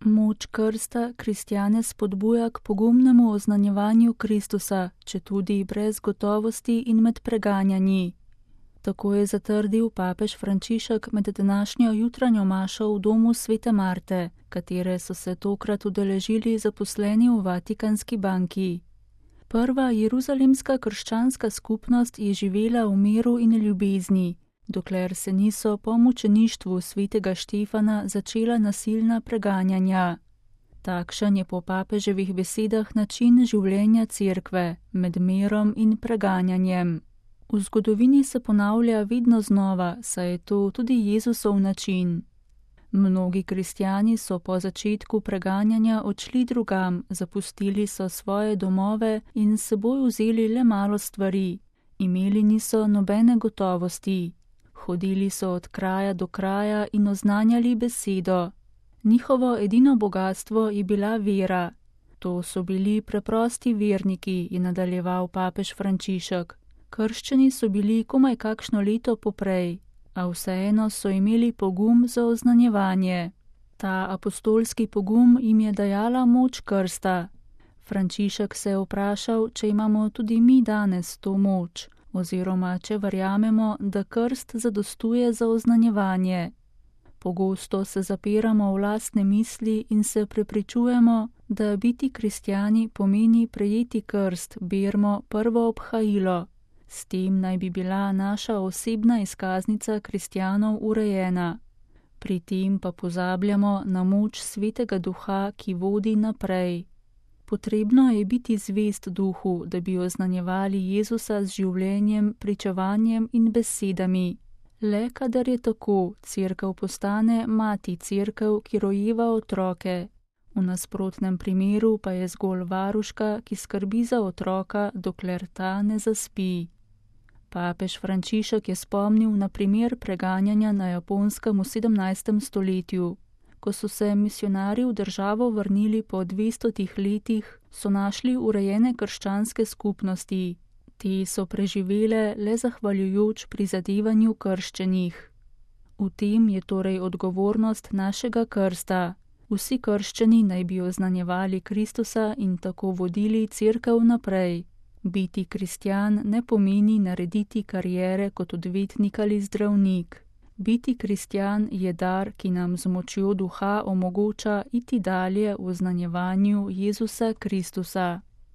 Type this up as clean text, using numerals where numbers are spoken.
Moč krsta kristjane spodbuja k pogumnemu oznanjevanju Kristusa, četudi brez gotovosti in med preganjanji. Tako je zatrdil papež Frančišek med današnjo jutranjo mašo v domu Svete Marte, katere so se tokrat udeležili zaposleni v Vatikanski banki. Prva jeruzalemska krščanska skupnost je živela v miru in ljubezni, dokler se niso po mučeništvu svetega Štefana začela nasilna preganjanja. Takšen je po papeževih besedah način življenja cerkve, med mirom in preganjanjem. V zgodovini se ponavlja vedno znova, saj je to tudi Jezusov način. Mnogi kristjani so po začetku preganjanja odšli drugam, zapustili so svoje domove in s seboj vzeli le malo stvari. Imeli niso nobene gotovosti. Hodili so od kraja do kraja in oznanjali besedo. Njihovo edino bogatstvo je bila vera. To so bili preprosti verniki, je nadaljeval papež Frančišek. Krščeni so bili komaj kakšno leto poprej, a vseeno so imeli pogum za oznanjevanje. Ta apostolski pogum jim je dajala moč krsta. Frančišek se je vprašal, če imamo tudi mi danes to moč, oziroma če verjamemo, da krst zadostuje za oznanjevanje. Pogosto se zapiramo v lastne misli in se prepričujemo, da biti kristjani pomeni prejeti krst, bermo prvo obhajilo. S tem naj bi bila naša osebna izkaznica kristjanov urejena. Pri tem pa pozabljamo na moč Svetega Duha, ki vodi naprej. Potrebno je biti zvest Duhu, da bi oznanjevali Jezusa z življenjem, pričevanjem in besedami. Le kadar je tako, cerkev postane mati cerkev, ki rojeva otroke. V nasprotnem primeru pa je zgolj varuška, ki skrbi za otroka, dokler ta ne zaspi. Papež Frančišek je spomnil na primer preganjanja na Japonskem v 17. stoletju. Ko so se misionarji v državo vrnili po 200 letih, so našli urejene krščanske skupnosti. Te so preživele le zahvaljujoč prizadevanju krščenih. V tem je torej odgovornost našega krsta. Vsi krščeni naj bi oznanjevali Kristusa in tako vodili cerkev naprej. Biti kristjan ne pomeni narediti kariere kot odvetnik ali zdravnik. Biti kristjan je dar, ki nam z močjo Duha omogoča iti dalje v oznanjevanju Jezusa Kristusa.